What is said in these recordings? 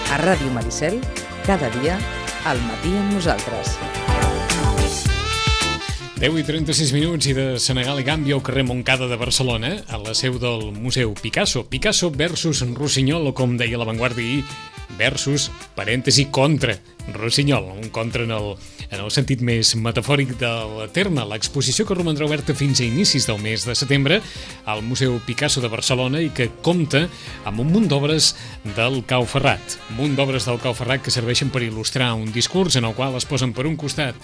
A Ràdio Maricel, cada dia, al matí amb nosaltres. 10:36 i de Senegal i Gàmbia al carrer Montcada de Barcelona, a la seu del Museu Picasso. Picasso versus Rossinyol, o com deia La Vanguardia ahir, versus, parèntesi, contra Rossinyol. Un contra en el sentit més metafòric del terme. L'exposició que romandrà oberta fins a inicis del mes de setembre al Museu Picasso de Barcelona i que compta amb un munt d'obres del Cau Ferrat. Un munt d'obres del Cau Ferrat que serveixen per il·lustrar un discurs en el qual es posen per un costat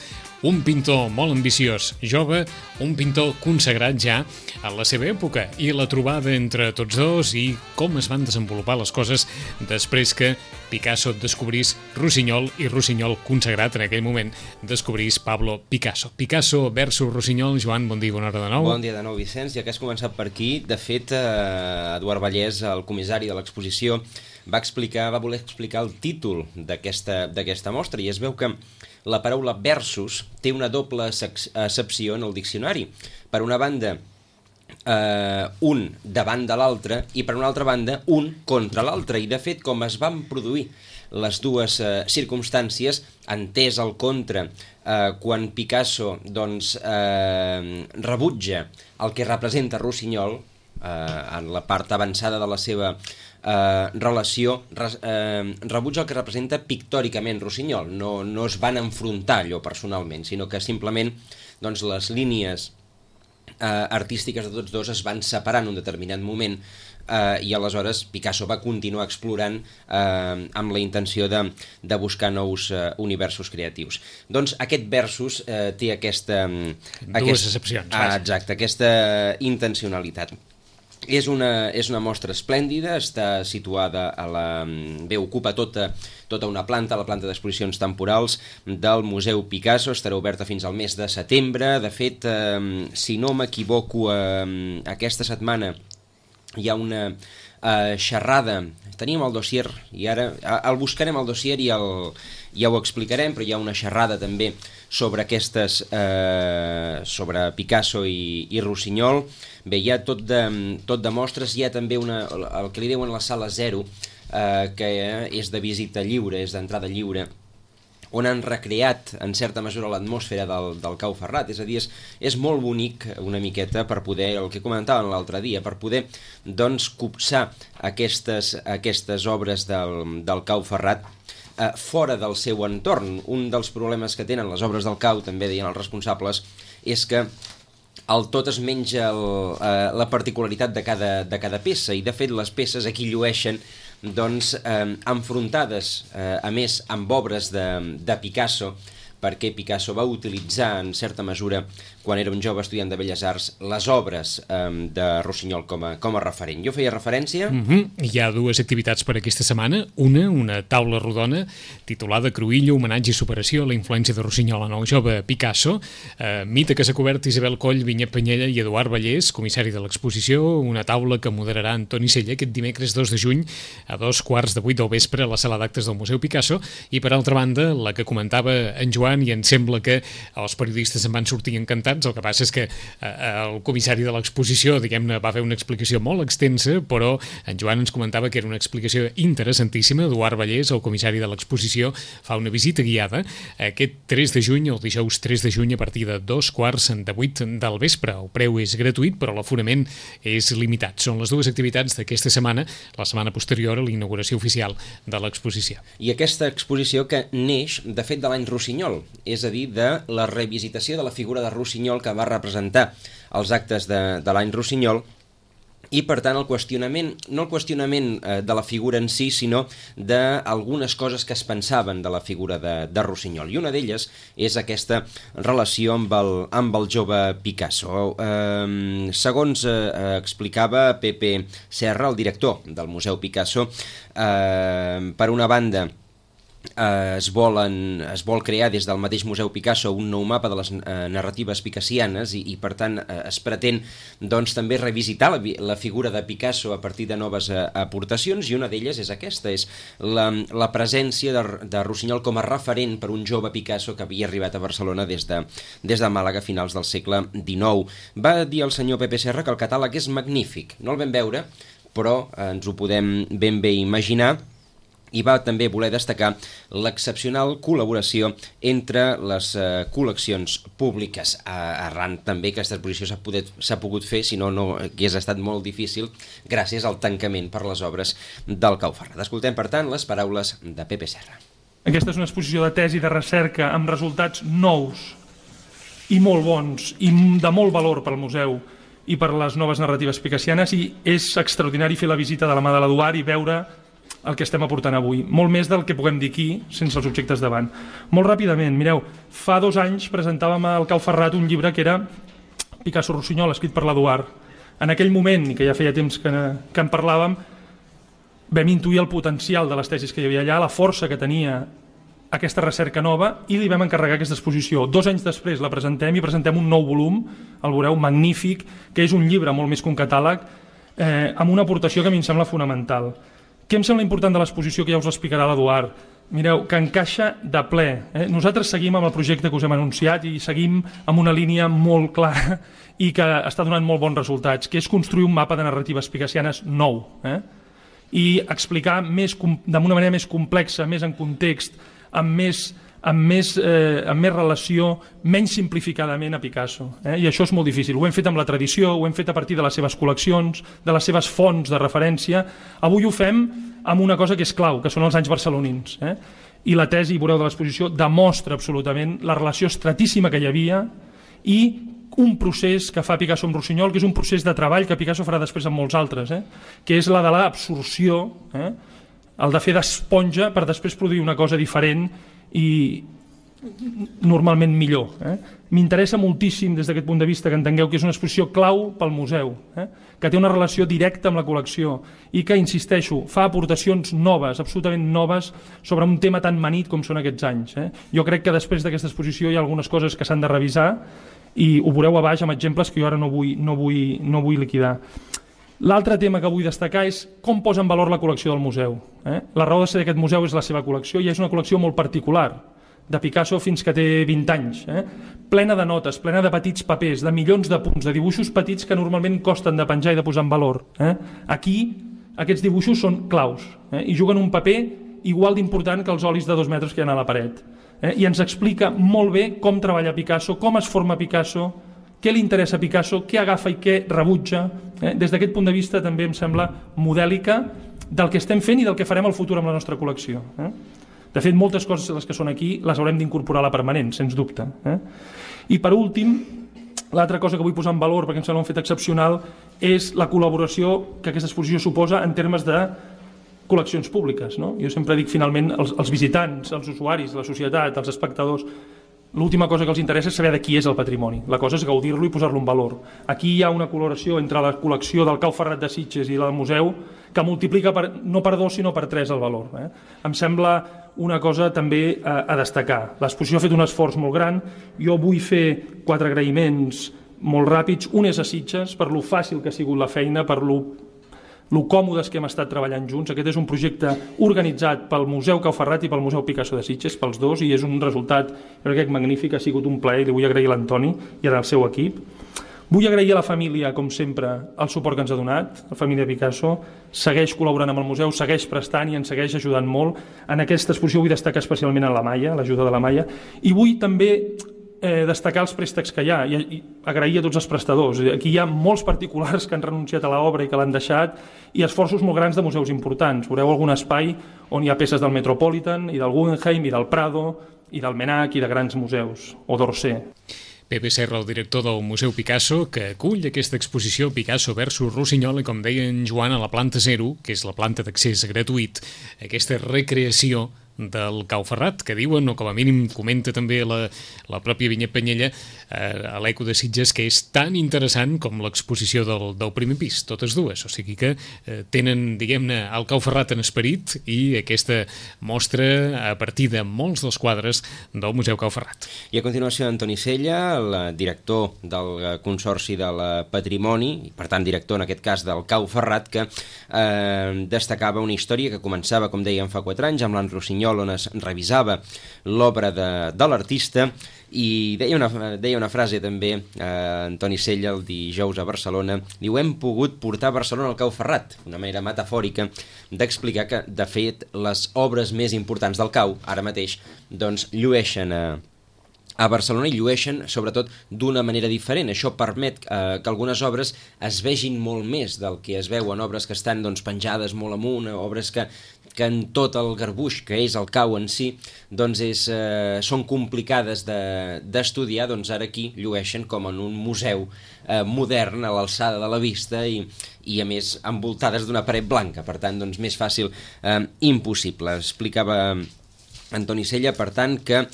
un pintor molt ambiciós, jove, un pintor consagrat ja en la seva època, i la trobada entre tots dos i com es van desenvolupar les coses després que Picasso descobrís Rossinyol i Rossinyol, consagrat en aquell moment, descobrís Pablo Picasso. Picasso versus Rossinyol. Joan, bon dia, bona hora de nou. Bon dia de nou, Vicenç. Ja que has començat per aquí, de fet, Eduard Vallès, el comissari de l'exposició, va voler explicar el títol d'aquesta mostra, i es veu que la paraula versus té una doble accepció en el diccionari. Per una banda, un davant de l'altre, i per una altra banda, un contra l'altre. I de fet, com es van produir les dues circumstàncies, entès el contra, quan Picasso rebutja el que representa Rossinyol, en la part avançada de la seva relació, rebutja el que representa pictòricament Rossinyol. No es van enfrontar allò personalment, sinó que simplement les línies artístiques de tots dos es van separar en un determinat moment, i aleshores Picasso va continuar explorant amb la intenció de buscar nous universos creatius. Doncs aquest versus té dues excepcions. Exacte, aquesta intencionalitat. És una mostra esplèndida, està situada ocupa tota una planta, la planta d'exposicions temporals del Museu Picasso. Estarà oberta fins al mes de setembre. De fet, si no m'equivoco, aquesta setmana hi ha una xerrada. Teníem el dossier i ara el buscarem, el dossier, i ja ho explicarem, però hi ha una xerrada també sobre sobre Picasso i Rossinyol. Bé, hi ha tot de mostres. Hi ha també el que li diuen la sala 0, que és de visita lliure, és d'entrada lliure, on han recreat en certa mesura l'atmosfera del Cau Ferrat. És a dir, és molt bonic una miqueta per poder, el que comentàvem l'altre dia, per poder copsar aquestes obres del Cau Ferrat fora del seu entorn. Un dels problemes que tenen les obres del Cau, també deien els responsables, és que el tot es menja la particularitat de cada peça, i de fet les peces aquí llueixen enfrontades, a més, amb obres de Picasso, perquè Picasso va utilitzar, en certa mesura, quan era un jove estudiant de Belles Arts, les obres de Rossinyol com a referent. Jo feia referència... Hi ha dues activitats per aquesta setmana. Una taula rodona titulada Cruïlla, homenatge i superació a la influència de Rossinyol en el jove Picasso. Mite que s'ha cobert Isabel Coll, Vinyet Penyella i Eduard Vallès, comissari de l'exposició. Una taula que moderarà Antoni Sella aquest dimecres 2 de juny a 2:15 del vespre a la sala d'actes del Museu Picasso. I per altra banda, la que comentava en Joan, i em sembla que els periodistes en van sortir encantats. El que passa és que el comissari de l'exposició, diguem-ne, va fer una explicació molt extensa, però en Joan ens comentava que era una explicació interessantíssima. Eduard Vallès, el comissari de l'exposició, fa una visita guiada aquest 3 de juny, el dijous 3 de juny, a partir de 2:15 del vespre. El preu és gratuït, però l'aforament és limitat. Són les dues activitats d'aquesta setmana, la setmana posterior a la inauguració oficial de l'exposició. I aquesta exposició que neix, de fet, de l'any Rossinyol, és a dir, de la revisitació de la figura de Rossinyol que va representar els actes de l'any Rossinyol, i per tant el qüestionament, no el qüestionament de la figura en si, sinó d'algunes coses que es pensaven de la figura de Rossinyol, i una d'elles és aquesta relació amb el jove Picasso. Segons explicava Pepe Serra, el director del Museu Picasso, per una banda es vol crear des del mateix Museu Picasso un nou mapa de les narratives picassianes i per tant es pretén doncs també revisitar la figura de Picasso a partir de noves aportacions, i una d'elles és aquesta, és la presència de Rossinyol com a referent per un jove Picasso que havia arribat a Barcelona des de Màlaga a finals del segle XIX. Va dir el senyor Pepe Serra que el catàleg és magnífic, no el vam veure, però ens ho podem ben bé imaginar, i va també voler destacar l'excepcional col·laboració entre les col·leccions públiques, arran també que aquesta exposició s'ha pogut fer, si no hagués estat molt difícil, gràcies al tancament per les obres del Cau Ferrat. Escoltem, per tant, les paraules de Pepe Serra. Aquesta és una exposició de tesi de recerca amb resultats nous i molt bons i de molt valor pel museu i per les noves narratives picassianes, i és extraordinari fer la visita de la mà de l'Eduard i veure el que estem aportant avui, molt més del que puguem dir aquí sense els objectes davant. Molt ràpidament, mireu, fa 2 anys presentàvem al Cau Ferrat un llibre que era Picasso Rossinyol, escrit per l'Eduard. En aquell moment, i que ja feia temps que en parlàvem, vam intuir el potencial de les tesis que hi havia allà, la força que tenia aquesta recerca nova, i li vam encarregar aquesta exposició. 2 anys després la presentem i presentem un nou volum, el veureu, magnífic, que és un llibre molt més que un catàleg, amb una aportació que a mi em sembla fonamental. Què em sembla important de l'exposició, que ja us l'explicarà l'Eduard? Mireu, que encaixa de ple. Nosaltres seguim amb el projecte que us hem anunciat i seguim amb una línia molt clara i que està donant molt bons resultats, que és construir un mapa de narratives picassianes nou. I explicar d'una manera més complexa, més en context, amb més relació, menys simplificadament a Picasso. I això és molt difícil. Ho hem fet amb la tradició, ho hem fet a partir de les seves col·leccions, de les seves fonts de referència. Avui ho fem amb una cosa que és clau, que són els anys barcelonins. I la tesi, veureu, de l'exposició demostra absolutament la relació estratíssima que hi havia i un procés que fa Picasso amb Rossinyol, que és un procés de treball que Picasso farà després amb molts altres, que és la de l'absorció, el de fer d'esponja per després produir una cosa diferent i normalment millor. M'interessa moltíssim des d'aquest punt de vista que entengueu que és una exposició clau pel museu, que té una relació directa amb la col·lecció i que, insisteixo, fa aportacions noves, absolutament noves, sobre un tema tan manit com són aquests anys. Jo crec que després d'aquesta exposició hi ha algunes coses que s'han de revisar i ho veureu a baix amb exemples que jo ara no vull liquidar. L'altre tema que vull destacar és com posa en valor la col·lecció del museu. La raó de ser d'aquest museu és la seva col·lecció, i és una col·lecció molt particular, de Picasso fins que té 20 anys, plena de notes, plena de petits papers, de milions de punts, de dibuixos petits que normalment costen de penjar i de posar en valor. Aquí aquests dibuixos són claus i juguen un paper igual d'important que els olis de 2 metres que hi ha a la paret. I ens explica molt bé com treballa Picasso, com es forma Picasso, què li interessa a Picasso, què agafa i què rebutja. Des d'aquest punt de vista també em sembla modèlica del que estem fent i del que farem al futur amb la nostra col·lecció. De fet, moltes coses les que són aquí les haurem d'incorporar a la permanent, sens dubte. I per últim, l'altra cosa que vull posar en valor, perquè em sembla un fet excepcional, és la col·laboració que aquesta exposició suposa en termes de col·leccions públiques. Jo sempre dic, finalment, els visitants, els usuaris, la societat, els espectadors, l'última cosa que els interessa és saber de qui és el patrimoni. La cosa és gaudir-lo i posar-lo en valor. Aquí hi ha una col·laboració entre la col·lecció del Cau Ferrat de Sitges i la del museu que multiplica no per 2 sinó per 3 el valor. Em sembla una cosa també a destacar. L'exposició ha fet un esforç molt gran. Jo vull fer 4 agraïments molt ràpids. Un és a Sitges, per lo fàcil que ha sigut la feina, per lo còmodes que hem estat treballant junts. Aquest és un projecte organitzat pel Museu Cau Ferrat i pel Museu Picasso de Sitges, pels dos, i és un resultat, jo crec, magnífic. Ha sigut un plaer i li vull agrair a l'Antoni i al seu equip. Vull agrair a la família, com sempre, el suport que ens ha donat. La família Picasso segueix col·laborant amb el museu, segueix prestant i ens segueix ajudant molt. En aquesta exposició vull destacar especialment a la Maia, l'ajuda de la Maia, i vull també destacar els préstecs que hi ha i agrair a tots els prestadors. Aquí hi ha molts particulars que han renunciat a l'obra i que l'han deixat, i esforços molt grans de museus importants. Veureu algun espai on hi ha peces del Metropolitan i del Guggenheim i del Prado i del Menac i de grans museus, o d'Orsay. Pepe Serra, el director del Museu Picasso, que acull aquesta exposició Picasso versus Rossinyol, i com deia en Joan, a la planta 0, que és la planta d'accés gratuït, aquesta recreació del Cau Ferrat, que diuen, o com a mínim comenta també la pròpia Vinyet Penyella, a l'Eco de Sitges, que és tan interessant com l'exposició del primer pis, totes dues. O sigui que tenen, diguem-ne, el Cau Ferrat en esperit i aquesta mostra a partir de molts dels quadres del Museu Cau Ferrat. I a continuació, Antoni Sella, el director del Consorci del Patrimoni, i per tant director en aquest cas del Cau Ferrat, que destacava una història que començava, com dèiem, fa 4 anys, amb l'Anne Rossinyol, on es revisava l'obra de l'artista, i deia una frase també, Antoni Sella, el dijous a Barcelona, diu: hem pogut portar a Barcelona al Cau Ferrat, una manera metafòrica d'explicar que, de fet, les obres més importants del Cau, ara mateix, doncs, llueixen a Barcelona, i llueixen sobretot d'una manera diferent. Això permet que algunes obres es vegin molt més del que es veuen obres que estan doncs, penjades molt amunt, obres que en tot el garbuix que és el Cau en si doncs són complicades d'estudiar, doncs ara aquí llueixen com en un museu modern, a l'alçada de la vista, i a més envoltades d'una paret blanca, per tant doncs, més fàcil impossible. Explicava Antoni Sella, per tant, que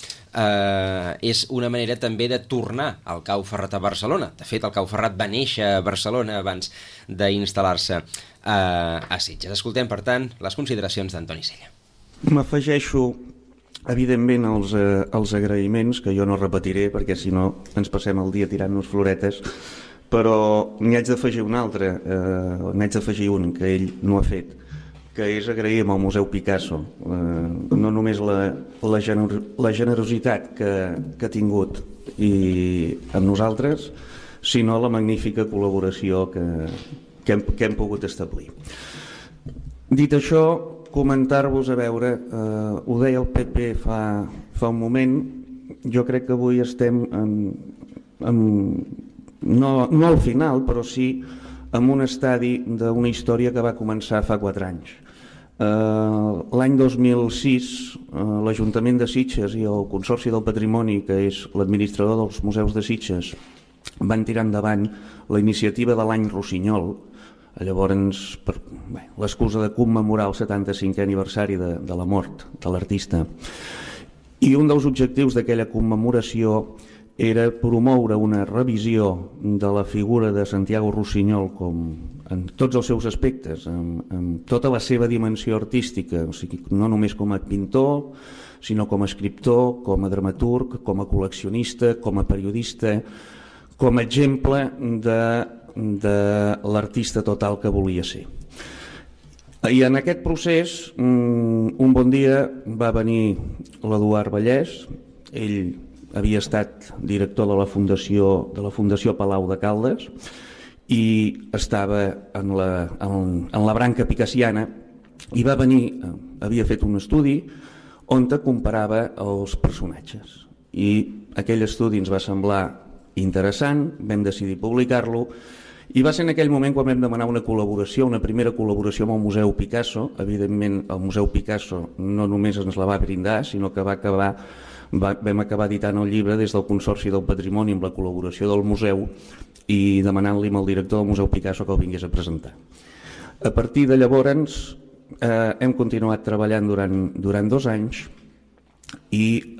és una manera també de tornar al Cau Ferrat a Barcelona. De fet, el Cau Ferrat va néixer a Barcelona abans d'instal·lar-se a Sitges. Escoltem, per tant, les consideracions d'Antoni Sella. M'afegeixo, evidentment, als agraïments, que jo no repetiré, perquè si no ens passem el dia tirant-nos floretes, però n'hi haig d'afegir un altre, n'haig d'afegir un que ell no ha fet, que és agrair al Museu Picasso no només la generositat que ha tingut amb nosaltres, sinó la magnífica col·laboració que hem pogut establir. Dit això, comentar-vos, a veure, ho deia el PP fa un moment, jo crec que avui estem no al final, però sí en un estadi d'una història que va començar fa 4 anys. L'any 2006 l'Ajuntament de Sitges i el Consorci del Patrimoni, que és l'administrador dels museus de Sitges, van tirar endavant la iniciativa de l'any Rossinyol, llavors l'excusa de commemorar el 75è aniversari de la mort de l'artista. I un dels objectius d'aquella commemoració era promoure una revisió de la figura de Santiago Rossinyol en tots els seus aspectes, amb tota la seva dimensió artística, o sigui, no només com a pintor, sinó com a escriptor, com a dramaturg, com a col·leccionista, com a periodista, com a exemple de l'artista total que volia ser. I en aquest procés, un bon dia va venir l'Eduard Vallès. Ell havia estat director de la Fundació Palau de Caldes i estava en la branca picassiana, i va venir, havia fet un estudi on comparava els personatges, i aquell estudi ens va semblar interessant, vam decidir publicar-lo, i va ser en aquell moment quan vam demanar una col·laboració, una primera col·laboració amb el Museu Picasso. Evidentment el Museu Picasso no només ens la va brindar, sinó que vam acabar editant el llibre des del Consorci del Patrimoni amb la col·laboració del museu i demanant-li al director del Museu Picasso que el vingués a presentar. A partir de llavors hem continuat treballant durant 2 anys i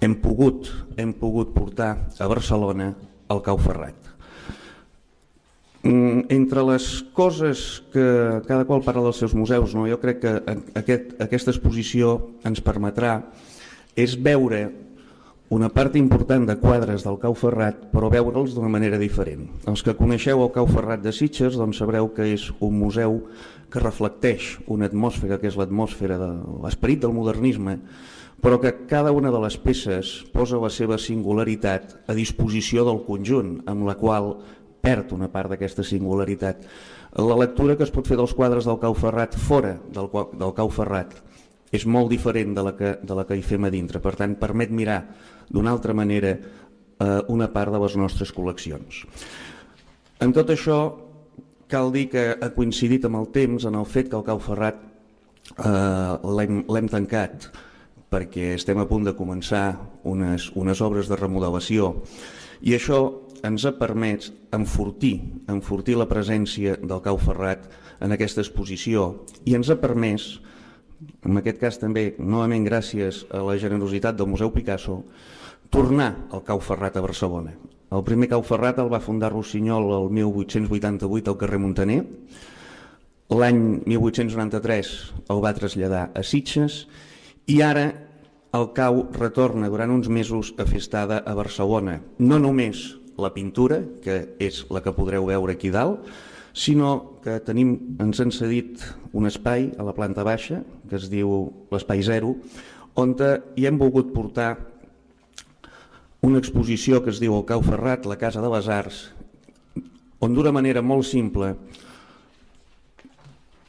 hem pogut portar a Barcelona el Cau Ferrat. Entre les coses que cada qual parla dels seus museus, jo crec que aquesta exposició ens permetrà és veure una part important de quadres del Cau Ferrat, però veure'ls d'una manera diferent. Els que coneixeu el Cau Ferrat de Sitges doncs sabreu que és un museu que reflecteix una atmosfera, que és l'atmosfera de l'esperit del modernisme, però que cada una de les peces posa la seva singularitat a disposició del conjunt, amb la qual perd una part d'aquesta singularitat. La lectura que es pot fer dels quadres del Cau Ferrat fora del Cau Ferrat és molt diferent de la que hi fem a dintre. Per tant, permet mirar d'una altra manera una part de les nostres col·leccions. En tot això, cal dir que ha coincidit amb el temps en el fet que el Cau Ferrat l'hem tancat perquè estem a punt de començar unes obres de remodelació, i això ens ha permès enfortir la presència del Cau Ferrat en aquesta exposició, i ens ha permès en aquest cas també, novament gràcies a la generositat del Museu Picasso, tornar al Cau Ferrat a Barcelona. El primer Cau Ferrat el va fundar Rossinyol el 1888 al carrer Montaner. L'any 1893 el va traslladar a Sitges i ara el Cau retorna durant uns mesos a fer estada a Barcelona. No només la pintura, que és la que podreu veure aquí dalt, sinó que ens han cedit un espai a la planta baixa, que es diu l'Espai Zero, on hi hem volgut portar una exposició que es diu el Cau Ferrat, la Casa de les Arts, on d'una manera molt simple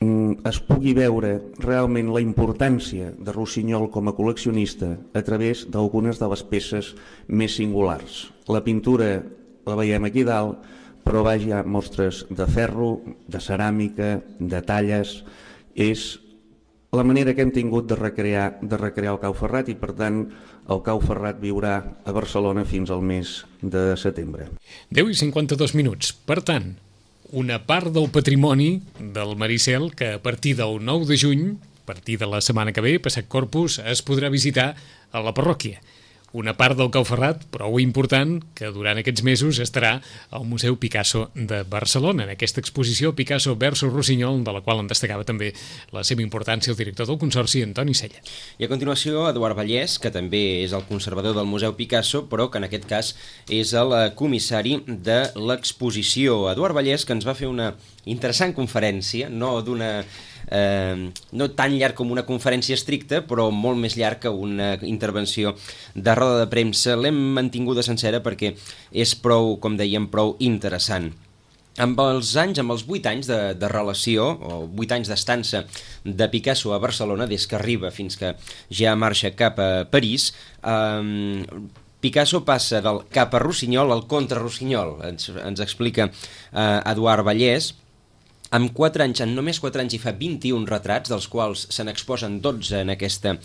es pugui veure realment la importància de Rossinyol com a col·leccionista a través d'algunes de les peces més singulars. La pintura la veiem aquí dalt, però hi ha mostres de ferro, de ceràmica, de talles. És la manera que hem tingut de recrear el Cau Ferrat i, per tant, el Cau Ferrat viurà a Barcelona fins al mes de setembre. 10:52. Per tant, una part del patrimoni del Maricel que a partir del 9 de juny, a partir de la setmana que ve, passat Corpus, es podrà visitar a la parròquia. Una part del Cau Ferrat, prou important, que durant aquests mesos estarà al Museu Picasso de Barcelona, en aquesta exposició Picasso versus Rossinyol, de la qual en destacava també la seva importància el director del Consorci, Antoni Sella. I a continuació, Eduard Vallès, que també és el conservador del Museu Picasso, però que en aquest cas és el comissari de l'exposició. Eduard Vallès, que ens va fer una interessant conferència, no tan llarg com una conferència estricta, però molt més llarg que una intervenció de roda de premsa. L'hem mantinguda sencera perquè és prou, com dèiem, prou interessant. Amb els 8 anys de relació, o 8 anys d'estança de Picasso a Barcelona, des que arriba fins que ja marxa cap a París, Picasso passa del cap a Rossinyol al contra Rossinyol, ens explica Eduard Vallès. En només 4 anys hi fa 21 retrats, dels quals se n'exposen 12 en aquesta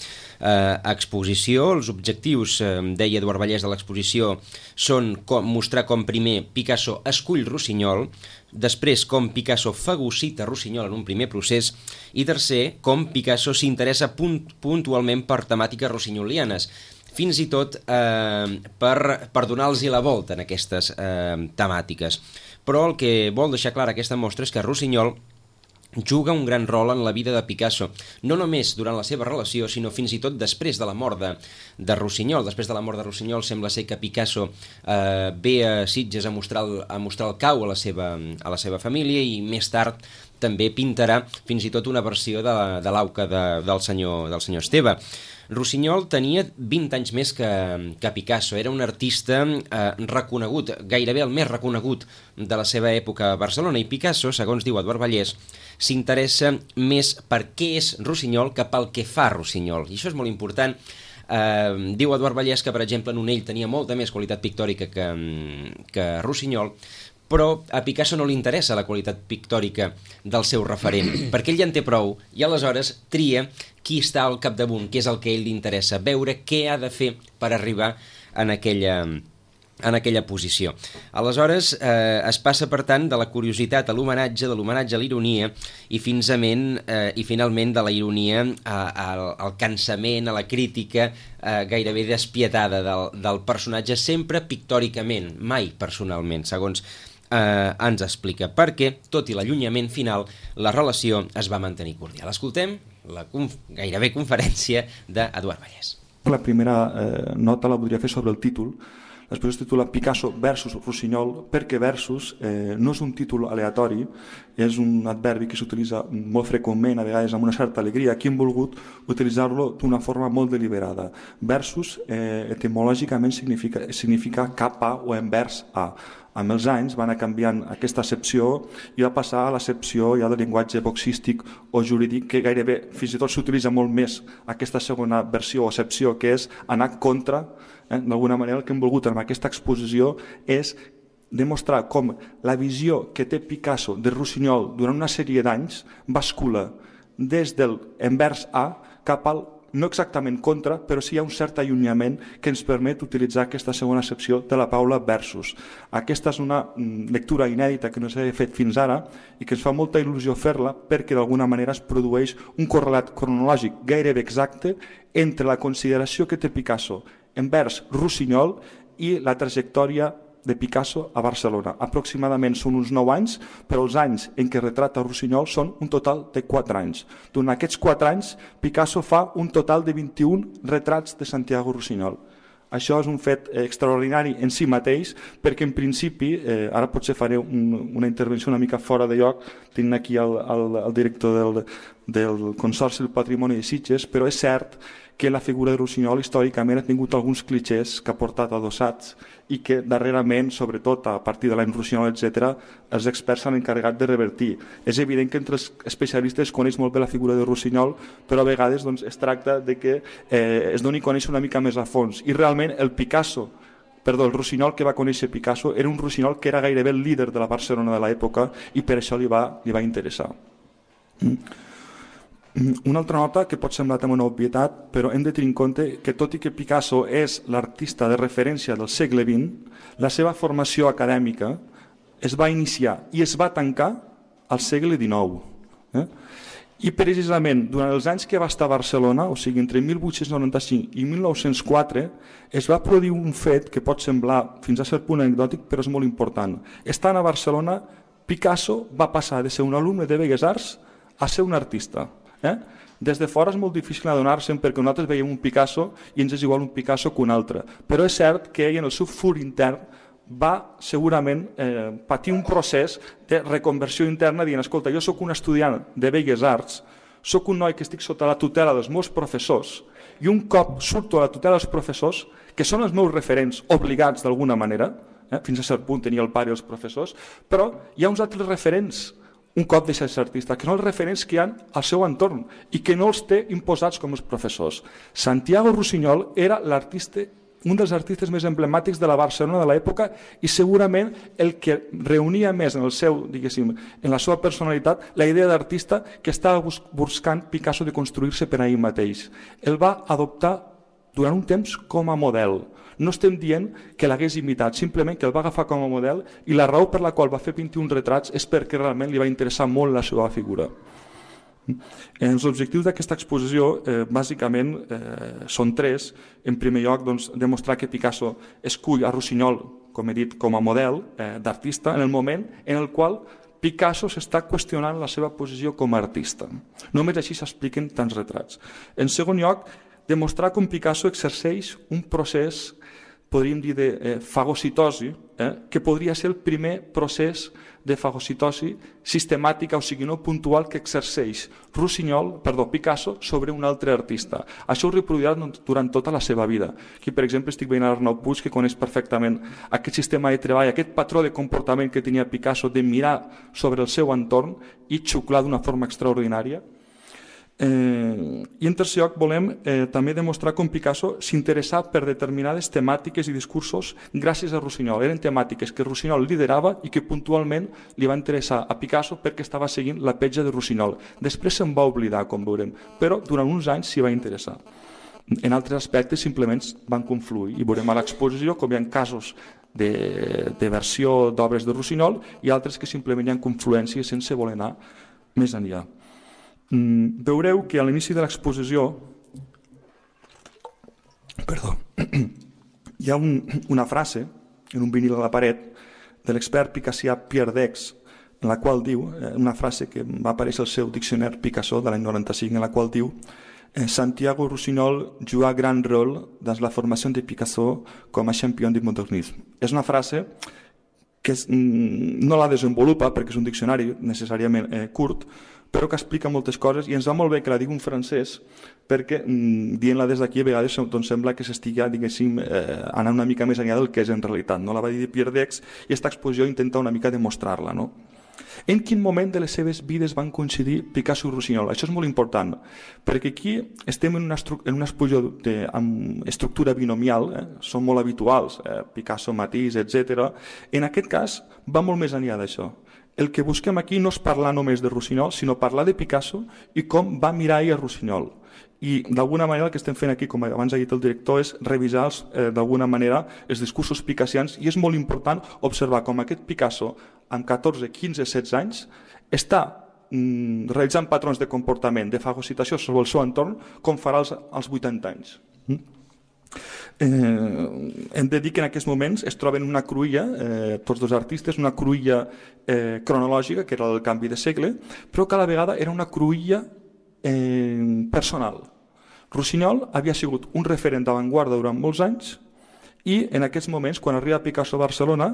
exposició. Els objectius, deia Eduard Vallès, de l'exposició són mostrar com primer Picasso escull Rossinyol, després com Picasso fagocita Rossinyol en un primer procés i tercer, com Picasso s'interessa puntualment per temàtiques rossinyolianes, fins i tot per donar-los la volta en aquestes temàtiques. Però el que vol deixar clara aquesta mostra és que Rossinyol juga un gran rol en la vida de Picasso, no només durant la seva relació, sinó fins i tot després de la mort de Rossinyol. Després de la mort de Rossinyol sembla ser que Picasso ve a Sitges a mostrar el Cau a la seva família i més tard també pintarà fins i tot una versió de l'auca del senyor Esteve. Rossinyol tenia 20 anys més que Picasso, era un artista reconegut, gairebé el més reconegut de la seva època a Barcelona, i Picasso, segons diu Eduard Vallès, s'interessa més per què és Rossinyol que pel que fa Rossinyol, i això és molt important. Diu Eduard Vallès que, per exemple, Nonell tenia molta més qualitat pictòrica que Rossinyol, però a Picasso no li interessa la qualitat pictòrica del seu referent, perquè ell ja en té prou i aleshores tria qui està al capdamunt, que és el que ell li interessa, veure què ha de fer per arribar en aquella posició. Aleshores es passa, per tant, de la curiositat a l'homenatge, de l'homenatge a l'ironia i finalment de la ironia al cansament, a la crítica gairebé despietada del personatge, sempre pictòricament, mai personalment, segons ens explica, perquè, tot i l'allunyament final, la relació es va mantenir cordial. Escoltem la gairebé conferència d'Eduard Vallès. La primera nota la voldria fer sobre el títol. Després es titula Picasso versus Rossinyol, perquè versus no és un títol aleatori, és un adverbi que s'utilitza molt freqüentment, a vegades amb una certa alegria. Aquí hem volgut utilitzar-lo d'una forma molt deliberada. Versus etimològicament significa cap a o envers a. Amb els anys va anar canviant aquesta accepció i va passar a l'accepció ja del llenguatge boxístic o jurídic, que gairebé fins i tot s'utilitza molt més aquesta segona versió o accepció, que és anar contra. D'alguna manera el que hem volgut amb aquesta exposició és demostrar com la visió que té Picasso de Rossinyol durant una sèrie d'anys bascula des del envers a cap al no exactament contra, però sí hi ha un cert allunyament que ens permet utilitzar aquesta segona accepció de la paraula versus. Aquesta és una lectura inèdita que no s'ha fet fins ara i que ens fa molta il·lusió fer-la perquè d'alguna manera es produeix un correlat cronològic gairebé exacte entre la consideració que té Picasso envers Rossinyol i la trajectòria de Picasso a Barcelona. Aproximadament són uns 9 anys, però els anys en què retrata Rossinyol són un total de 4 anys. Durant aquests 4 anys, Picasso fa un total de 21 retrats de Santiago Rossinyol. Això és un fet extraordinari en si mateix, perquè en principi, ara potser faré una intervenció una mica fora de lloc, tinc aquí el director del Consorci del Patrimoni de Sitges, però és cert que la figura de Rossinyol històricament ha tingut alguns clichés que ha portat adossats i que darrerament, sobretot a partir de l'any Rossinyol, etc., els experts s'han encarregat de revertir. És evident que entre els especialistes es coneix molt bé la figura de Rossinyol, però a vegades doncs, es tracta de que es doni a conèixer una mica més a fons. I realment el Rossinyol que va conèixer Picasso era un Rossinyol que era gairebé el líder de la Barcelona de l'època i per això li va interessar. Una altra nota que pot semblar també una obvietat, però hem de tenir en compte que tot i que Picasso és l'artista de referència del segle XX, la seva formació acadèmica es va iniciar i es va tancar al segle XIX. I precisament durant els anys que va estar a Barcelona, o sigui entre 1895 i 1904, es va produir un fet que pot semblar fins a cert punt anecdòtic, però és molt important. Estant a Barcelona, Picasso va passar de ser un alumne de Belles Arts a ser un artista. Des de fora és molt difícil adonar-se'n perquè nosaltres veiem un Picasso i ens és igual un Picasso que un altre, però és cert que ell en el seu fur intern va segurament patir un procés de reconversió interna dient, escolta, jo sóc un estudiant de Belles Arts, sóc un noi que estic sota la tutela dels meus professors i un cop surto a la tutela dels professors, que són els meus referents obligats d'alguna manera, fins a cert punt tenia el pare i els professors, però hi ha uns altres referents un cop deixa de ser artista, que són els referents que hi ha al seu entorn i que no els té imposats com els professors. Santiago Rossinyol era un dels artistes més emblemàtics de la Barcelona de l'època i segurament el que reunia més en la seva personalitat la idea d'artista que estava buscant Picasso de construir-se per a ell mateix. El va adoptar durant un temps com a model. No estem dient que l'hagués imitat, simplement que el va agafar com a model i la raó per la qual va fer 21 retrats és perquè realment li va interessar molt la seva figura. Els objectius d'aquesta exposició bàsicament són 3. En primer lloc, demostrar que Picasso escull a Rossinyol, com he dit, com a model d'artista en el moment en el qual Picasso s'està qüestionant la seva posició com a artista. Només així s'expliquen tants retrats. En segon lloc, demostrar com Picasso exerceix un procés, podríem dir, de fagocitosi, que podria ser el primer procés de fagocitosi sistemàtica, o sigui, no puntual, que exerceix Picasso sobre un altre artista. Això ho reproduirà durant tota la seva vida. Aquí, per exemple, estic veient Arnau Puig, que coneix perfectament aquest sistema de treball, aquest patró de comportament que tenia Picasso de mirar sobre el seu entorn i xuclar d'una forma extraordinària. I en tercer lloc volem també demostrar com Picasso s'interessava per determinades temàtiques i discursos gràcies a Rossinyol. Eren temàtiques que Rossinyol liderava i que puntualment li va interessar a Picasso perquè estava seguint la petja de Rossinyol. Després se'n va oblidar, com veurem, però durant uns anys s'hi va interessar. En altres aspectes simplement van confluir i veurem a l'exposició com hi ha casos de versió d'obres de Rossinyol i altres que simplement hi ha confluències sense voler anar més enllà. Veureu que a l'inici de l'exposició hi ha una frase en un vinil a la paret de l'expert picassià Pierre Dex, en la qual diu, una frase que va aparèixer al seu diccionari Picasso de l'any 95, en la qual diu Santiago Rossinyol joua grand rôle dans la formation de Picasso com a champion du modernisme. És una frase que no la desenvolupa perquè és un diccionari necessàriament curt, però que explica moltes coses i ens va molt bé que la digui un francès perquè dient-la des d'aquí a vegades sembla que s'estigui anant una mica més enllà del que és en realitat. La va dir Pierre Dex i aquesta exposició intenta una mica demostrar-la. En quin moment de les seves vides van coincidir Picasso i Rossinyol? Això és molt important, perquè aquí estem en una exposició amb estructura binomial, són molt habituals, Picasso, Matisse, etc. En aquest cas va molt més enllà d'això. El que busquem aquí no és parlar només de Rossinyol, sinó parlar de Picasso i com va mirar ell a Rossinyol. i d'alguna manera el que estem fent aquí, com abans ha dit el director, és revisar d'alguna manera els discursos picassians, i és molt important observar com aquest Picasso amb 14, 15, 16 anys està realitzant patrons de comportament, de fagocitació sobre el seu entorn, com farà als 80 anys. Hem de dir que en aquests moments es troben una cruïlla, tots dos artistes, una cruïlla cronològica, que era el canvi de segle, però que a la vegada era una cruïlla personal. Rossinyol havia sigut un referent d'avantguarda durant molts anys i en aquests moments, quan arriba Picasso a Barcelona,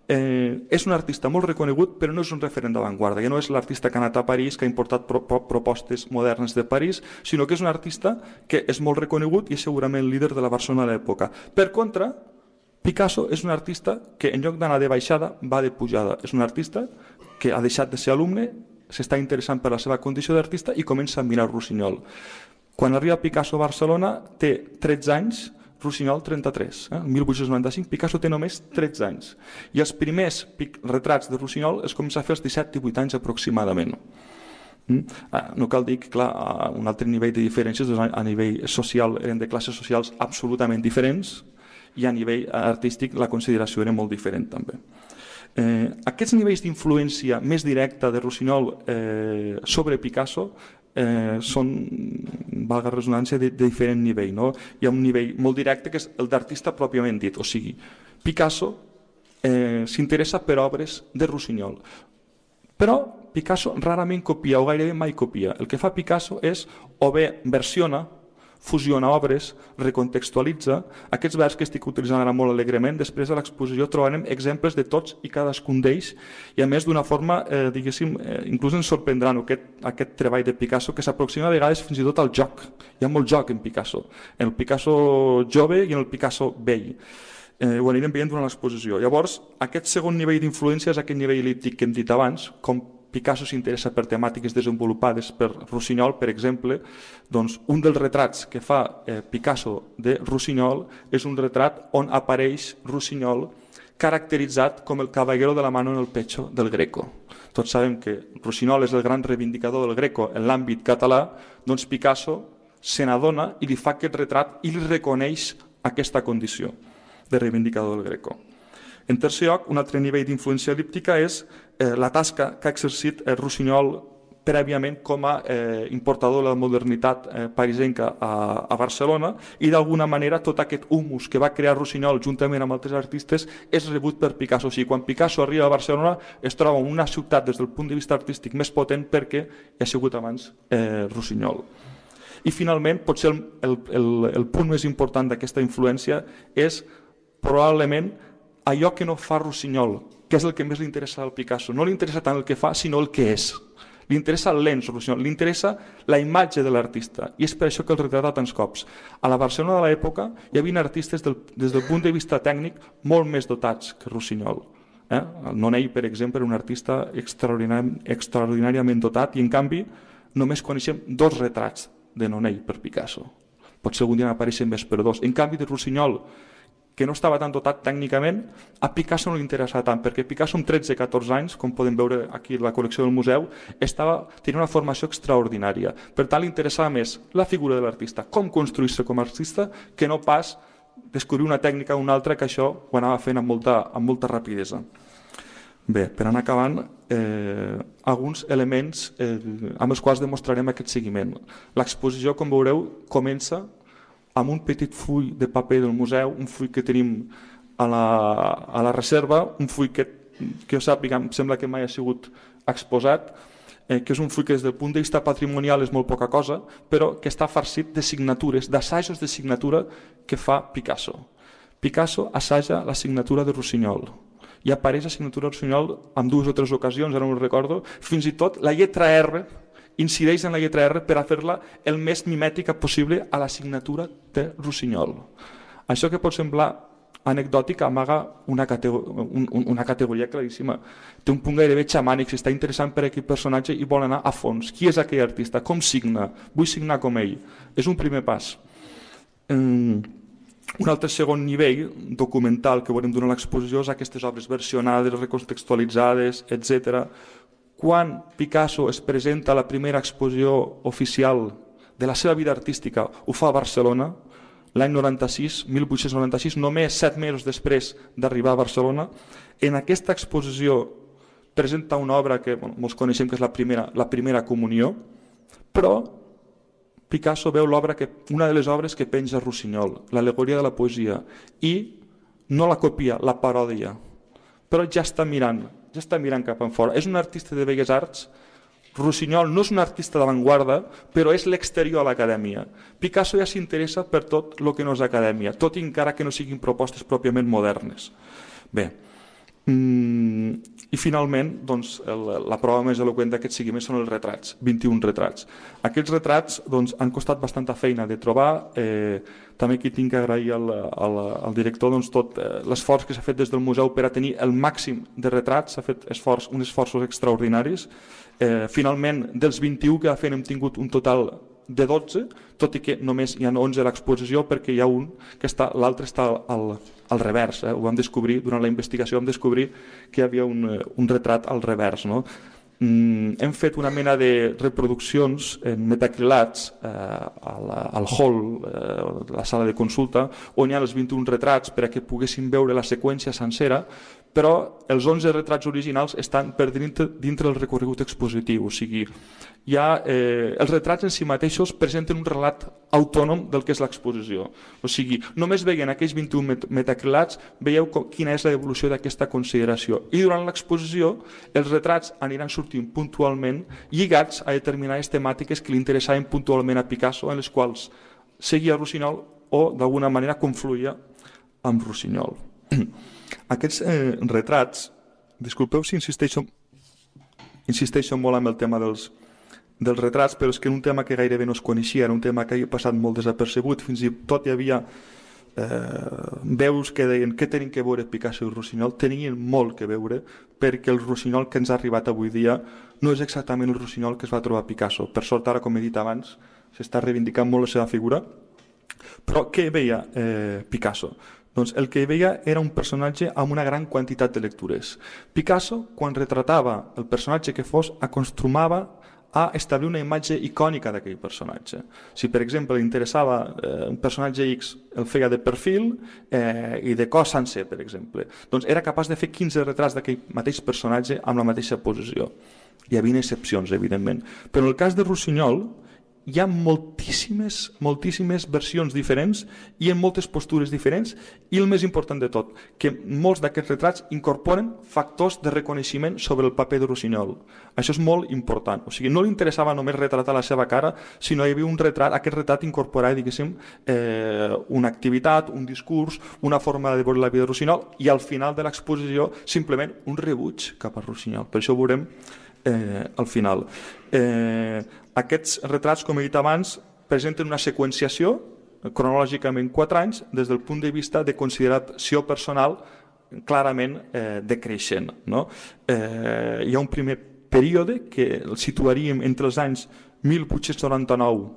és un artista molt reconegut, però no és un referent d'avantguarda. Ja no és l'artista que ha anat a París, que ha importat propostes modernes de París, sinó que és un artista que és molt reconegut i és segurament líder de la Barcelona de l'època. Per contra, Picasso és un artista que en lloc d'anar de baixada va de pujada. És un artista que ha deixat de ser alumne, s'està interessant per la seva condició d'artista i comença a mirar Rossinyol. Quan arriba Picasso a Barcelona té 13 anys, Rossinyol 33. El 1895 Picasso té només 13 anys. I els primers retrats de Rossinyol es comença a fer als 17-18 anys aproximadament. No cal dir que, clar, a un altre nivell de diferències, a nivell social eren de classes socials absolutament diferents i a nivell artístic la consideració era molt diferent també. Aquests nivells d'influència més directa de Rossinyol sobre Picasso són, valga la resonància, de diferent nivell. No? Hi ha un nivell molt directe que és el d'artista pròpiament dit, o sigui, Picasso s'interessa per obres de Rossinyol, però Picasso rarament copia o gairebé mai copia. El que fa Picasso és o bé versiona, fusiona obres, recontextualitza. Aquests verbs que estic utilitzant ara molt alegrement, després de l'exposició trobarem exemples de tots i cadascun d'ells, i a més d'una forma, diguéssim, inclús ens sorprendran aquest treball de Picasso, que s'aproxima a vegades fins i tot al joc. Hi ha molt joc en Picasso, en el Picasso jove i en el Picasso vell. Ho anirem veient durant l'exposició. Llavors, aquest segon nivell d'influència és aquest nivell el·líptic que hem dit abans, com Picasso s'interessa per temàtiques desenvolupades per Rossinyol, per exemple, doncs un dels retrats que fa Picasso de Rossinyol és un retrat on apareix Rossinyol caracteritzat com el caballero de la mano en el pecho del Greco. Tots sabem que Rossinyol és el gran reivindicador del Greco en l'àmbit català, doncs Picasso se n'adona i li fa aquest retrat i li reconeix aquesta condició de reivindicador del Greco. En tercer lloc, un altre nivell d'influència el·líptica és la tasca que ha exercit Rossinyol prèviament com a importador de la modernitat parisenca a Barcelona, i d'alguna manera tot aquest humus que va crear Rossinyol juntament amb altres artistes és rebut per Picasso. O sigui, quan Picasso arriba a Barcelona es troba en una ciutat des del punt de vista artístic més potent perquè hi ha sigut abans Rossinyol. I finalment, potser el punt més important d'aquesta influència és probablement allò que no fa Rossinyol, que és el que més li interessa al Picasso. No li interessa tant el que fa, sinó el que és. Li interessa el lens, Rossinyol, li interessa la imatge de l'artista, i és per això que el retrata tants cops. A la Barcelona de l'època hi havia artistes des del punt de vista tècnic molt més dotats que Rossinyol. El Nonell, per exemple, era un artista extraordinàriament dotat, i en canvi només coneixem 2 retrats de Nonell per Picasso. Potser algun dia n'apareixen més, però 2. En canvi, de Rossinyol, que no estava tan dotat tècnicament, a Picasso no li interessava tant, perquè Picasso amb 13-14 anys, com podem veure aquí a la col·lecció del museu, tenia una formació extraordinària. Per tant, li interessava més la figura de l'artista, com construir-se com a artista, que no pas descobrir una tècnica o una altra, que això ho anava fent amb molta rapidesa. Bé, per anar acabant, alguns elements amb els quals demostrarem aquest seguiment. L'exposició, com veureu, comença amb un petit full de paper del museu, un full que tenim a la reserva, un full que jo sàpiga, em sembla que mai ha sigut exposat, que és un full que des del punt de vista patrimonial és molt poca cosa, però que està farcit de signatures, d'assajos de signatura que fa Picasso. Picasso assaja la signatura de Rossinyol, i apareix la signatura de Rossinyol en 2 o 3 ocasions, ara no ho recordo, fins i tot la lletra R incideix en la lletra R per a fer-la el més mimètica possible a la signatura de Rossinyol. Això que pot semblar anecdòtic amaga una categoria claríssima. Té un punt gairebé xamànic, s'està interessant per aquest personatge i vol anar a fons. Qui és aquell artista? Com signa? Vull signar com ell. És un primer pas. Un altre segon nivell documental que veurem durant l'exposició és aquestes obres versionades, recontextualitzades, etc. Quan Picasso es presenta a la primera exposició oficial de la seva vida artística ho fa a Barcelona, l'any 1896, només 7 mesos després d'arribar a Barcelona. En aquesta exposició presenta una obra que molts coneixem, que és la primera comunió, però Picasso veu una de les obres que penja Rossinyol, l'al·legoria de la poesia, i no la copia, la parodia, però ja està mirant cap enfora. És un artista de belles arts. Rossinyol no és un artista d'avantguarda, però és l'exterior a l'acadèmia. Picasso ja s'interessa per tot el que no és acadèmia, tot i encara que no siguin propostes pròpiament modernes. Bé, i finalment doncs, la prova més eloqüent d'aquest seguiment són els retrats, 21 retrats. Aquests retrats doncs, han costat bastanta feina de trobar. També aquí tinc que agrair al director doncs, tot l'esforç que s'ha fet des del museu per a tenir el màxim de retrats. S'ha fet uns esforços extraordinaris. Finalment, dels 21 que hem tingut un total de 12, tot i que només hi ha 11 a l'exposició, perquè hi ha un que l'altre està al revers. Ho vam descobrir, durant la investigació vam descobrir que hi havia un retrat al revers. No? Hem fet una mena de reproduccions en metacrilats al hall, la sala de consulta, on hi ha els 21 retrats per a que poguessin veure la seqüència sencera, però els 11 retrats originals estan per dintre del recorregut expositiu. O sigui, els retrats en si mateixos presenten un relat autònom del que és l'exposició. O sigui, només veient aquells 21 metacrilats veieu quina és l'evolució d'aquesta consideració. I durant l'exposició els retrats aniran sortint puntualment lligats a determinades temàtiques que li interessaven puntualment a Picasso, en les quals seguia Rossinyol o d'alguna manera confluïa amb Rossinyol. Aquests retrats, disculpeu si insisteixo molt amb el tema dels retrats, però és que un tema que gairebé no es coneixia, era un tema que havia passat molt desapercebut, fins i tot hi havia veus que deien què tenen que veure Picasso i Rossinyol. Tenien molt que veure, perquè el Rossinyol que ens ha arribat avui dia no és exactament el Rossinyol que es va trobar Picasso. Per sort, ara, com he dit abans, s'està reivindicant molt la seva figura. Però què veia Picasso? Doncs el que veia era un personatge amb una gran quantitat de lectures. Picasso, quan retratava el personatge que fos, acostumava a establir una imatge icònica d'aquell personatge. Si, per exemple, li interessava un personatge X, el feia de perfil i de cos sencer, per exemple. Doncs era capaç de fer 15 retrats d'aquell mateix personatge amb la mateixa posició. Hi havia excepcions, evidentment. Però en el cas de Rossinyol hi ha moltíssimes versions diferents i en moltes postures diferents, i el més important de tot, que molts d'aquests retrats incorporen factors de reconeixement sobre el paper de Rossinyol. Això és molt important. O sigui, no li interessava només retratar la seva cara, sinó hi havia un retrat, aquest retrat incorporava, diguéssim, una activitat, un discurs, una forma de veure la vida de Rossinyol, i al final de l'exposició simplement un rebuig cap a Rossinyol. Per això ho veurem al final. Aquests retrats, com he dit abans, presenten una seqüenciació cronològicament 4 anys des del punt de vista de consideració personal clarament decreixent. No? Hi ha un primer període que el situaríem entre els anys 1899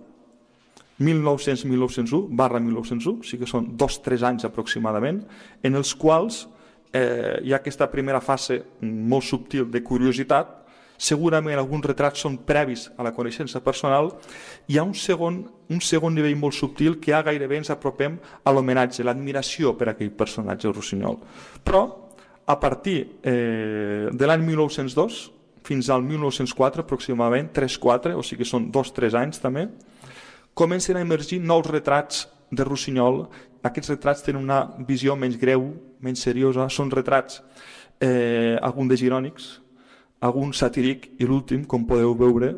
1901/1901, o sigui que són 2-3 anys aproximadament, en els quals hi ha aquesta primera fase molt subtil de curiositat. Segurament alguns retrats són previs a la coneixença personal. Hi ha un segon nivell molt subtil que ja gairebé ens apropem a l'homenatge, l'admiració per aquell personatge Rossinyol. Però a partir de l'any 1902 fins al 1904 aproximadament, 3-4, o sigui que són 2-3 anys també, comencen a emergir nous retrats de Rossinyol. Aquests retrats tenen una visió menys greu, menys seriosa, són retrats alguns de girònics, algun satíric, i l'últim, com podeu veure,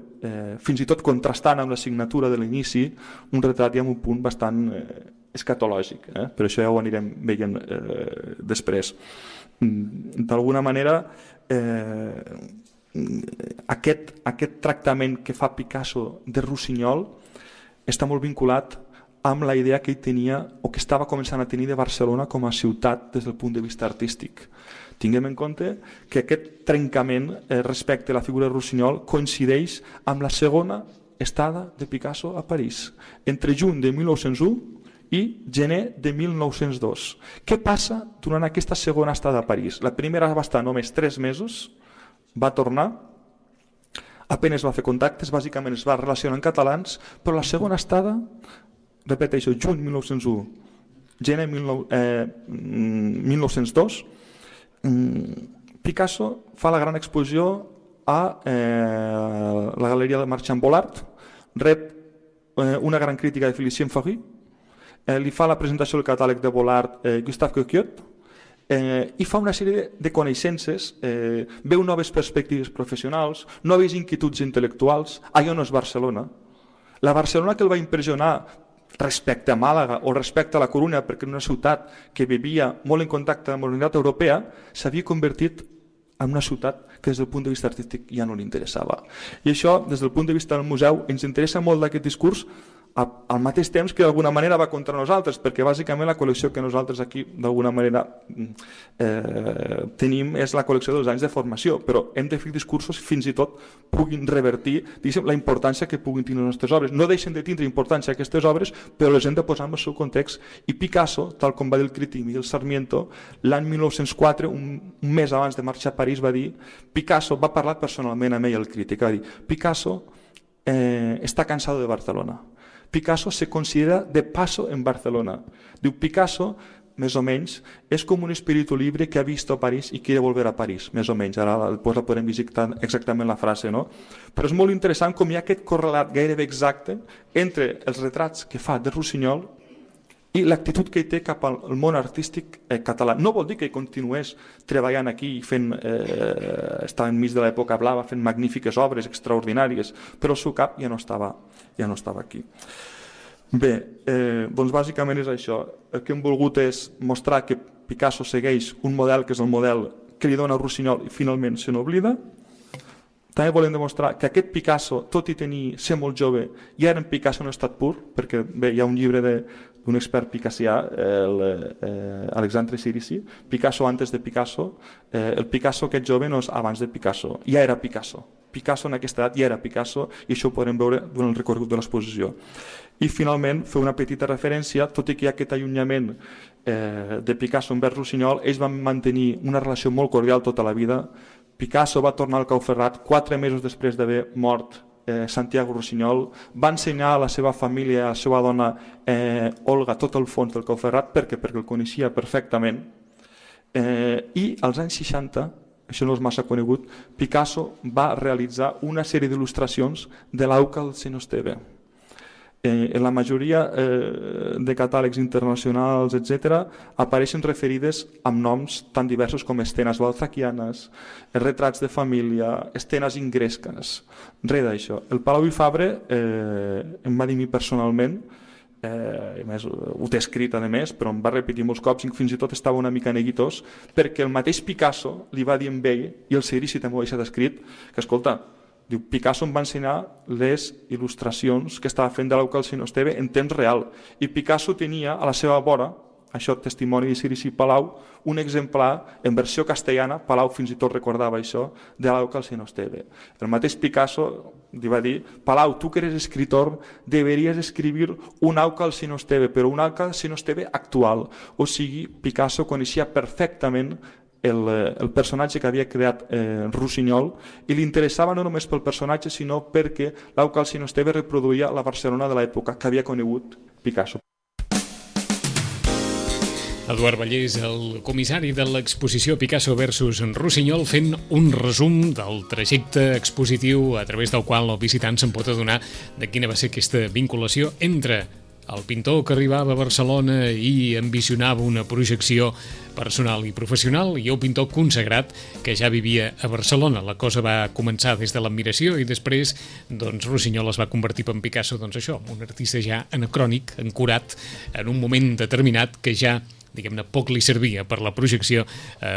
fins i tot contrastant amb la signatura de l'inici, un retrat ja amb un punt bastant escatològic. Per això ja ho anirem veient després. D'alguna manera, aquest tractament que fa Picasso de Rossinyol està molt vinculat amb la idea que ell tenia, o que estava començant a tenir, de Barcelona com a ciutat des del punt de vista artístic. Tinguem en compte que aquest trencament respecte a la figura de Rossinyol coincideix amb la segona estada de Picasso a París, entre juny de 1901 i gener de 1902. Què passa durant aquesta segona estada a París? La primera va estar només 3 mesos, va tornar, apenas va fer contactes, bàsicament es va relacionar en catalans, però la segona estada, repeteixo, juny 1901, gener 1902, Picasso fa la gran exposició a la Galeria de Marchand Bollard, rep una gran crítica de Félicien Faury, li fa la presentació del catàleg de Bollard Gustave Coquiot, i fa una sèrie de coneixences, veu noves perspectives professionals, noves inquietuds intel·lectuals. Allò no és Barcelona. La Barcelona que el va impressionar respecte a Màlaga o respecte a la Corunya, perquè era una ciutat que vivia molt en contacte amb la modernitat europea, s'havia convertit en una ciutat que des del punt de vista artístic ja no li interessava. I això, des del punt de vista del museu, ens interessa molt d'aquest discurs, al mateix temps que d'alguna manera va contra nosaltres, perquè bàsicament la col·lecció que nosaltres aquí d'alguna manera tenim és la col·lecció dels anys de formació, però hem de fer discursos fins i tot puguin revertir la importància que puguin tenir les nostres obres. No deixen de tindre importància aquestes obres, però les hem de posar en el seu context. I Picasso, tal com va dir el crític Miguel Sarmiento, l'any 1904, un mes abans de marxar a París, va dir, Picasso va parlar personalment amb ell, el crític, va dir, Picasso està cansado de Barcelona. Picasso se considera de paso en Barcelona. Diu, Picasso, més o menys, és com un espíritu libre que ha vist a París i quiere volver a París, més o menys. Ara després la podem visitar exactament la frase, no? Però és molt interessant com hi ha aquest correlat gairebé exacte entre els retrats que fa de Rossinyol i l'actitud que hi té cap al món artístic català. No vol dir que continués treballant aquí i fent, estava enmig de l'època blava, fent magnífiques obres extraordinàries, però el seu cap ja no estava aquí. Bé, doncs bàsicament és això. El que hem volgut és mostrar que Picasso segueix un model que és el model que li dona Rossinyol i finalment se n'oblida. També volem demostrar que aquest Picasso, tot i ser molt jove, ja era un Picasso en estat pur, perquè bé, hi ha un llibre d'un expert picassià, Alexandre Sirici, Picasso antes de Picasso. El Picasso aquest jove no és abans de Picasso, ja era Picasso. Picasso en aquesta edat ja era Picasso i això ho podem veure durant el recorregut de l'exposició. I finalment, fer una petita referència, tot i que hi ha aquest allunyament de Picasso envers Rossinyol, ells van mantenir una relació molt cordial tota la vida. Picasso va tornar al Cau Ferrat 4 mesos després d'haver mort Santiago Rossinyol, va ensenyar a la seva família, a la seva dona Olga, tot el fons del Cau Ferrat, perquè el coneixia perfectament. I als anys 60, això no és massa conegut, Picasso va realitzar una sèrie d'il·lustracions de l'Auca del Senyor Esteve. En la majoria de catàlegs internacionals, etc., apareixen referides amb noms tan diversos com escenes balzaquianes, retrats de família, escenes ingresques, res d'això. El Palau i Fabra em va dir a mi personalment, a més, ho té escrit a més, però em va repetir molts cops i fins i tot estava una mica neguitós, perquè el mateix Picasso li va dir a ell, i el Sirici també ho ha deixat escrit, que escolta, diu, Picasso em va ensenyar les il·lustracions que estava fent de l'Auca del Senyor Esteve en temps real, i Picasso tenia a la seva vora, això testimoni de Sirici Palau, un exemplar en versió castellana, Palau fins i tot recordava això, de l'Auca del Senyor Esteve. El mateix Picasso li va dir, Palau, tu que eres escritor, deberies escribir un Auca del Senyor Esteve, però un Auca del Senyor Esteve actual. O sigui, Picasso coneixia perfectament el personatge que havia creat Rossinyol i li interessava no només pel personatge sinó perquè l'Auca del Senyor Esteve reproduïa la Barcelona de l'època que havia conegut Picasso. Eduard Vallès, el comissari de l'exposició Picasso versus Rossinyol, fent un resum del trajecte expositiu a través del qual el visitant se'n pot adonar de quina va ser aquesta vinculació entre el pintor que arribava a Barcelona i ambicionava una projecció personal i professional i el pintor consagrat que ja vivia a Barcelona. La cosa va començar des de l'admiració i després doncs, Rossinyol es va convertir en Picasso, doncs això, un artista ja anacrònic, ancorat en un moment determinat que ja diguem-ne, poc li servia per la projecció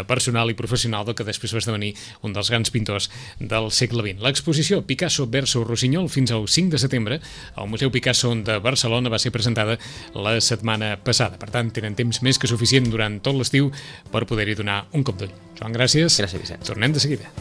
personal i professional del que després va esdevenir un dels grans pintors del segle XX. L'exposició Picasso versus Rossinyol fins al 5 de setembre al Museu Picasso de Barcelona va ser presentada la setmana passada. Per tant, tenen temps més que suficient durant tot l'estiu per poder-hi donar un cop d'ull. Joan, gràcies. Gràcies, Vicent. Tornem de seguida.